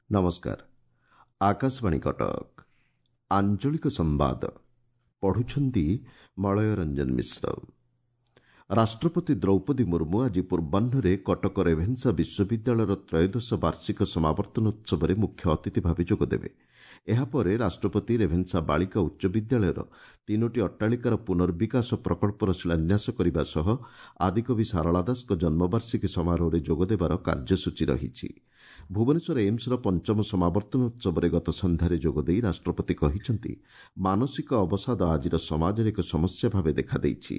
ନମସ୍କାର, ଆକାଶବାଣୀ କଟକ। ଆଞ୍ଚଳିକ ସମ୍ବାଦ ପଢୁଛନ୍ତି ମଳୟ ରଞ୍ଜନ ମିଶ୍ର। ରାଷ୍ଟ୍ରପତି ଦ୍ରୌପଦୀ ମୁର୍ମୁ ଆଜି ପୂର୍ବାହ୍ନରେ କଟକ ରେଭେନ୍ସା ବିଶ୍ୱବିଦ୍ୟାଳୟର ତ୍ରୟୋଦଶ ବାର୍ଷିକ ସମାବର୍ତ୍ତନୋତ୍ସବରେ ମୁଖ୍ୟ ଅତିଥି ଭାବେ ଯୋଗଦେବେ। ଏହାପରେ ରାଷ୍ଟ୍ରପତି ରେଭେନ୍ସା ବାଳିକା ଉଚ୍ଚ ବିଦ୍ୟାଳୟର ତିନୋଟି ଅଟ୍ଟାଳିକାର ପୁନର୍ବିକାଶ ପ୍ରକଳ୍ପର ଶିଳାନ୍ୟାସ କରିବା ସହ ଆଦିକବି ସାରଳା ଦାସଙ୍କ ଜନ୍ମବାର୍ଷିକୀ ସମାରୋହରେ ଯୋଗଦେବାର କାର୍ଯ୍ୟସୂଚୀ ରହିଛି। ଭୁବନେଶ୍ୱର ଏମ୍ସର ପଞ୍ଚମ ସମାବର୍ତ୍ତନୋତ୍ସବରେ ଗତ ସନ୍ଧ୍ୟାରେ ଯୋଗଦେଇ ରାଷ୍ଟ୍ରପତି କହିଛନ୍ତି, ମାନସିକ ଅବସାଦ ଆଜିର ସମାଜରେ ଏକ ସମସ୍ୟା ଭାବେ ଦେଖାଦେଇଛି।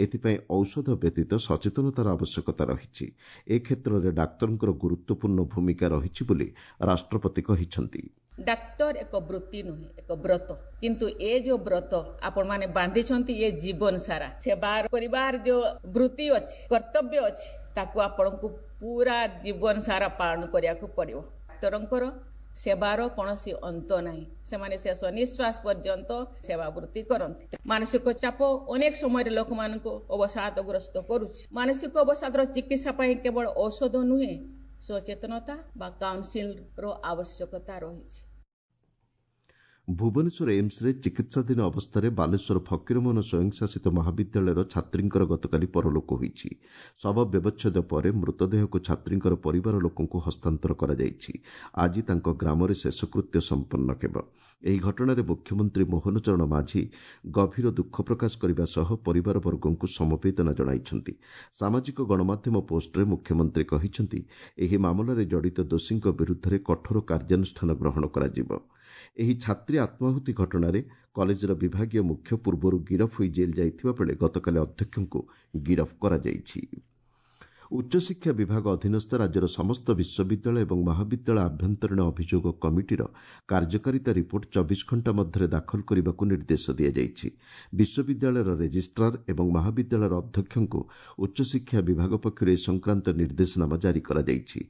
ଏଥିପାଇଁ ଔଷଧ ବ୍ୟତୀତ ସଚେତନତାର ଆବଶ୍ୟକତା ରହିଛି। ଏ କ୍ଷେତ୍ରରେ ଡାକ୍ତରଙ୍କର ଗୁରୁତ୍ୱପୂର୍ଣ୍ଣ ଭୂମିକା ରହିଛି ବୋଲି ରାଷ୍ଟ୍ରପତି କହିଛନ୍ତି। ଡାକ୍ତର ଏକ ବୃତ୍ତି ନୁହେଁ, ଏକ ବ୍ରତ। କିନ୍ତୁ ଏ ଯୋଉ ବ୍ରତ ଆପଣମାନେ ବାନ୍ଧିଛନ୍ତି, ଏ ଜୀବନ ସାରା ସେବା କରିବାର ଯୋଉ ବୃତ୍ତି ଅଛି, କର୍ତ୍ତବ୍ୟ ଅଛି, ତାକୁ ଆପଣଙ୍କୁ ପୁରା ଜୀବନ ସାରା ପାଳନ କରିବାକୁ ପଡ଼ିବ। ଡାକ୍ତରଙ୍କର ସେବାର କୌଣସି ଅନ୍ତ ନାହିଁ। ସେମାନେ ଶେଷ ନିଶ୍ୱାସ ପର୍ଯ୍ୟନ୍ତ ସେବା ବୃତ୍ତି କରନ୍ତି। ମାନସିକ ଚାପ ଅନେକ ସମୟରେ ଲୋକମାନଙ୍କୁ ଅବସାଦଗ୍ରସ୍ତ କରୁଛି। ମାନସିକ ଅବସାଦର ଚିକିତ୍ସା ପାଇଁ କେବଳ ଔଷଧ ନୁହେଁ, ସଚେତନତା ବା କାଉନସିଲର ଆବଶ୍ୟକତା ରହିଛି। ଭୁବନେଶ୍ୱର ଏମ୍ସରେ ଚିକିତ୍ସାଧୀନ ଅବସ୍ଥାରେ ବାଲେଶ୍ୱର ଫକୀରମୋହନ ସ୍ୱୟଂଶାସିତ ମହାବିଦ୍ୟାଳୟର ଛାତ୍ରୀଙ୍କର ଗତକାଲି ପରଲୋକ ହୋଇଛି। ଶବ ବ୍ୟବଚ୍ଛେଦ ପରେ ମୃତଦେହକୁ ଛାତ୍ରୀଙ୍କର ପରିବାର ଲୋକଙ୍କୁ ହସ୍ତାନ୍ତର କରାଯାଇଛି। ଆଜି ତାଙ୍କ ଗ୍ରାମରେ ଶେଷକୃତ୍ୟ ସମ୍ପନ୍ନ ହେବ। ଏହି ଘଟଣାରେ ମୁଖ୍ୟମନ୍ତ୍ରୀ ମୋହନ ଚରଣ ମାଝୀ ଗଭୀର ଦୁଃଖ ପ୍ରକାଶ କରିବା ସହ ପରିବାରବର୍ଗଙ୍କୁ ସମବେଦନା ଜଣାଇଛନ୍ତି। ସାମାଜିକ ଗଣମାଧ୍ୟମ ପୋଷ୍ଟରେ ମୁଖ୍ୟମନ୍ତ୍ରୀ କହିଛନ୍ତି, ଏହି ମାମଲାରେ ଜଡ଼ିତ ଦୋଷୀଙ୍କ ବିରୁଦ୍ଧରେ କଠୋର କାର୍ଯ୍ୟାନୁଷ୍ଠାନ ଗ୍ରହଣ କରାଯିବ। ଏହି ଛାତ୍ରୀ ଆତ୍ମାହୁତି ଘଟଣାରେ କଲେଜର ବିଭାଗୀୟ ମୁଖ୍ୟ ପୂର୍ବରୁ ଗିରଫ ହୋଇ ଜେଲ୍ ଯାଇଥିବା ବେଳେ ଗତକାଲି ଅଧ୍ୟକ୍ଷଙ୍କୁ ଗିରଫ କରାଯାଇଛି। ଉଚ୍ଚଶିକ୍ଷା ବିଭାଗ ଅଧୀନସ୍ଥ ରାଜ୍ୟର ସମସ୍ତ ବିଶ୍ୱବିଦ୍ୟାଳୟ ଏବଂ ମହାବିଦ୍ୟାଳୟ ଆଭ୍ୟନ୍ତରୀଣ ଅଭିଯୋଗ କମିଟିର କାର୍ଯ୍ୟକାରିତା ରିପୋର୍ଟ 24 ଘଣ୍ଟା ମଧ୍ୟରେ ଦାଖଲ କରିବାକୁ ନିର୍ଦ୍ଦେଶ ଦିଆଯାଇଛି। ବିଶ୍ୱବିଦ୍ୟାଳୟର ରେଜିଷ୍ଟ୍ରାର ଏବଂ ମହାବିଦ୍ୟାଳୟର ଅଧ୍ୟକ୍ଷଙ୍କୁ ଉଚ୍ଚଶିକ୍ଷା ବିଭାଗ ପକ୍ଷରୁ ଏ ସଂକ୍ରାନ୍ତ ନିର୍ଦ୍ଦେଶନାମା ଜାରି କରାଯାଇଛି।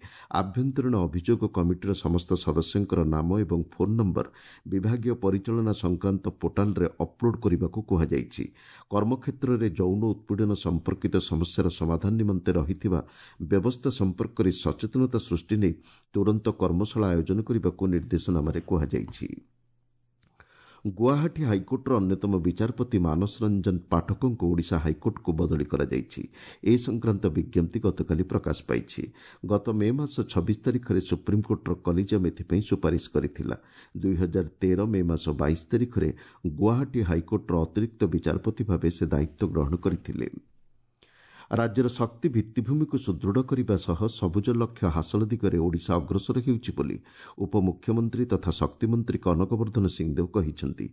ଆଭ୍ୟନ୍ତରୀଣ ଅଭିଯୋଗ କମିଟିର ସମସ୍ତ ସଦସ୍ୟଙ୍କର ନାମ ଏବଂ ଫୋନ୍ ନମ୍ବର ବିଭାଗୀୟ ପରିଚାଳନା ସଂକ୍ରାନ୍ତ ପୋର୍ଟାଲରେ ଅପଲୋଡ୍ କରିବାକୁ କୁହାଯାଇଛି। କର୍ମକ୍ଷେତ୍ରରେ ଯୌନ ଉତ୍ପୀଡ଼ନ ସମ୍ପର୍କିତ ସମସ୍ୟାର ସମାଧାନ ନିମନ୍ତେ ରହିଥିବା ବ୍ୟବସ୍ଥା ସମ୍ପର୍କରେ ସଚେତନତା ସୃଷ୍ଟି ନେଇ ତୁରନ୍ତ କର୍ମଶାଳା ଆୟୋଜନ କରିବାକୁ ନିର୍ଦ୍ଦେଶନାମାରେ କୁହାଯାଇଛି। ଗୁଆହାଟୀ ହାଇକୋର୍ଟର ଅନ୍ୟତମ ବିଚାରପତି ମାନସ ରଞ୍ଜନ ପାଠକଙ୍କୁ ଓଡ଼ିଶା ହାଇକୋର୍ଟକୁ ବଦଳି କରାଯାଇଛି। ଏ ସଂକ୍ରାନ୍ତ ବିଜ୍ଞପ୍ତି ଗତକାଲି ପ୍ରକାଶ ପାଇଛି। ଗତ ମେ ମାସ 26 ତାରିଖରେ ସୁପ୍ରିମକୋର୍ଟର କଲିଜିୟମ୍ ଏଥିପାଇଁ ସୁପାରିଶ କରିଥିଲା। 2013 ମେ ମାସ 22 ତାରିଖରେ ଗୁଆହାଟୀ ହାଇକୋର୍ଟର ଅତିରିକ୍ତ ବିଚାରପତି ଭାବେ ସେ ଦାୟିତ୍ୱ ଗ୍ରହଣ କରିଥିଲେ। ରାଜ୍ୟର ଶକ୍ତି ଭିତ୍ତିଭୂମିକୁ ସୁଦୃଢ଼ କରିବା ସହ ସବୁଜ ଲକ୍ଷ୍ୟ ହାସଲ ଦିଗରେ ଓଡ଼ିଶା ଅଗ୍ରସର ହେଉଛି ବୋଲି ଉପମୁଖ୍ୟମନ୍ତ୍ରୀ ତଥା ଶକ୍ତିମନ୍ତ୍ରୀ କନକବର୍ଦ୍ଧନ ସିଂଦେଓ କହିଛନ୍ତି।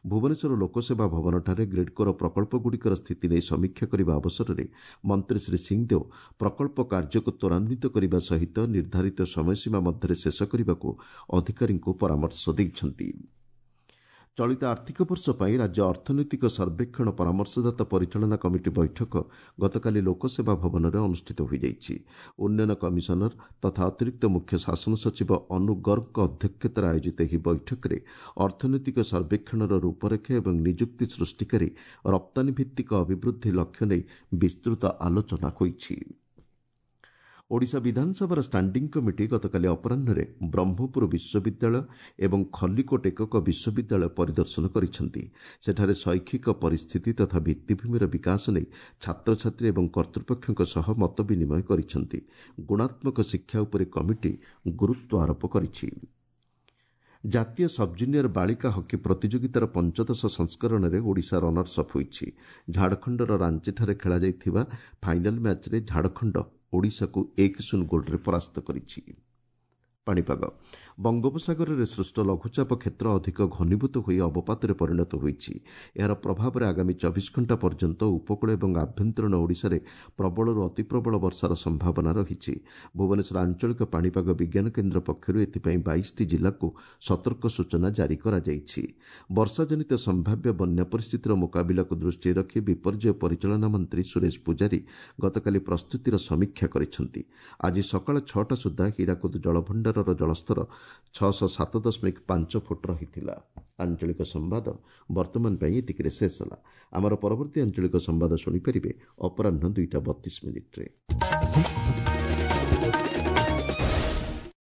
ଭୁବନେଶ୍ୱର ଲୋକସେବା ଭବନଠାରେ ଗ୍ରିଡ୍କୋର ପ୍ରକଳ୍ପଗୁଡ଼ିକର ସ୍ଥିତି ନେଇ ସମୀକ୍ଷା କରିବା ଅବସରରେ ମନ୍ତ୍ରୀ ଶ୍ରୀ ସିଂଦେଓ ପ୍ରକଳ୍ପ କାର୍ଯ୍ୟକୁ ତ୍ୱରାନ୍ୱିତ କରିବା ସହିତ ନିର୍ଦ୍ଧାରିତ ସମୟସୀମା ମଧ୍ୟରେ ଶେଷ କରିବାକୁ ଅଧିକାରୀଙ୍କୁ ପରାମର୍ଶ ଦେଇଛନ୍ତି। ଚଳିତ ଆର୍ଥିକ ବର୍ଷ ପାଇଁ ରାଜ୍ୟ ଅର୍ଥନୈତିକ ସର୍ବେକ୍ଷଣ ପରାମର୍ଶଦାତା ପରିଚାଳନା କମିଟି ବୈଠକ ଗତକାଲି ଲୋକସେବା ଭବନରେ ଅନୁଷ୍ଠିତ ହୋଇଯାଇଛି। ଉନ୍ନୟନ କମିଶନର ତଥା ଅତିରିକ୍ତ ମୁଖ୍ୟ ଶାସନ ସଚିବ ଅନୁ ଗର୍ଗଙ୍କ ଅଧ୍ୟକ୍ଷତାରେ ଆୟୋଜିତ ଏହି ବୈଠକରେ ଅର୍ଥନୈତିକ ସର୍ବେକ୍ଷଣର ରୂପରେଖ ଏବଂ ନିଯୁକ୍ତି ସୃଷ୍ଟିକାରୀ ରପ୍ତାନୀ ଭିତ୍ତିକ ଅଭିବୃଦ୍ଧି ଲକ୍ଷ୍ୟ ନେଇ ବିସ୍ତୃତ ଆଲୋଚନା ହୋଇଛି। ଓଡ଼ିଶା ବିଧାନସଭାର ଷ୍ଟାଣ୍ଡିଂ କମିଟି ଗତକାଲି ଅପରାହ୍ନରେ ବ୍ରହ୍ମପୁର ବିଶ୍ୱବିଦ୍ୟାଳୟ ଏବଂ ଖଲ୍ଲିକୋଟ ଏକକ ବିଶ୍ୱବିଦ୍ୟାଳୟ ପରିଦର୍ଶନ କରିଛନ୍ତି। ସେଠାରେ ଶୈକ୍ଷିକ ପରିସ୍ଥିତି ତଥା ଭିତ୍ତିଭୂମିର ବିକାଶ ନେଇ ଛାତ୍ରଛାତ୍ରୀ ଏବଂ କର୍ତ୍ତୃପକ୍ଷଙ୍କ ସହ ମତ ବିନିମୟ କରିଛନ୍ତି। ଗୁଣାତ୍ମକ ଶିକ୍ଷା ଉପରେ କମିଟି ଗୁରୁତ୍ୱ ଆରୋପ କରିଛି। ଜାତୀୟ ସବ୍ଜୁନିୟର ବାଳିକା ହକି ପ୍ରତିଯୋଗିତାର ପଞ୍ଚଦଶ ସଂସ୍କରଣରେ ଓଡ଼ିଶା ରନର୍ସ ଅପ୍ ହୋଇଛି। ଝାଡ଼ଖଣ୍ଡର ରାଞ୍ଚିଠାରେ ଖେଳାଯାଇଥିବା ଫାଇନାଲ୍ ମ୍ୟାଚ୍ରେ ଝାଡ଼ଖଣ୍ଡ ଓଡ଼ିଶାକୁ 1-0 ଗୋଲ୍ରେ ପରାସ୍ତ କରିଛି। ପାଣିପାଗ। ବଙ୍ଗୋପସାଗରରେ ସୃଷ୍ଟ ଲଘୁଚାପ କ୍ଷେତ୍ର ଅଧିକ ଘନୀଭୂତ ହୋଇ ଅବପାତରେ ପରିଣତ ହୋଇଛି। ଏହାର ପ୍ରଭାବରେ ଆଗାମୀ 24 ଘଣ୍ଟା ପର୍ଯ୍ୟନ୍ତ ଉପକୂଳ ଏବଂ ଆଭ୍ୟନ୍ତରୀଣ ଓଡ଼ିଶାରେ ପ୍ରବଳରୁ ଅତିପ୍ରବଳ ବର୍ଷାର ସମ୍ଭାବନା ରହିଛି। ଭୁବନେଶ୍ୱର ଆଞ୍ଚଳିକ ପାଣିପାଗ ବିଜ୍ଞାନ କେନ୍ଦ୍ର ପକ୍ଷରୁ ଏଥିପାଇଁ 22ଟି ଜିଲ୍ଲାକୁ ସତର୍କ ସୂଚନା ଜାରି କରାଯାଇଛି। ବର୍ଷାଜନିତ ସମ୍ଭାବ୍ୟ ବନ୍ୟା ପରିସ୍ଥିତିର ମୁକାବିଲାକୁ ଦୃଷ୍ଟିରେ ରଖି ବିପର୍ଯ୍ୟୟ ପରିଚାଳନା ମନ୍ତ୍ରୀ ସୁରେଶ ପୂଜାରୀ ଗତକାଲି ପ୍ରସ୍ତୁତିର ସମୀକ୍ଷା କରିଛନ୍ତି। ଆଜି ସକାଳ 6ଟା ସୁଦ୍ଧା ହୀରାକୁଦ ଜଳଭଣ୍ଡାରର ଜଳସ୍ତର 607.5 ଫୁଟ ରହିଥିଲା। ଆଞ୍ଚଳିକ ସମ୍ବାଦ ବର୍ତ୍ତମାନ ପାଇଁ ଏତିକିରେ ଶେଷ ହେଲା। ଆମର ପରବର୍ତ୍ତୀ ଆଞ୍ଚଳିକ ସମ୍ବାଦ ଶୁଣିପାରିବେ ଅପରାହ୍ନ 2ଟା 32 ମିନିଟ୍ରେ।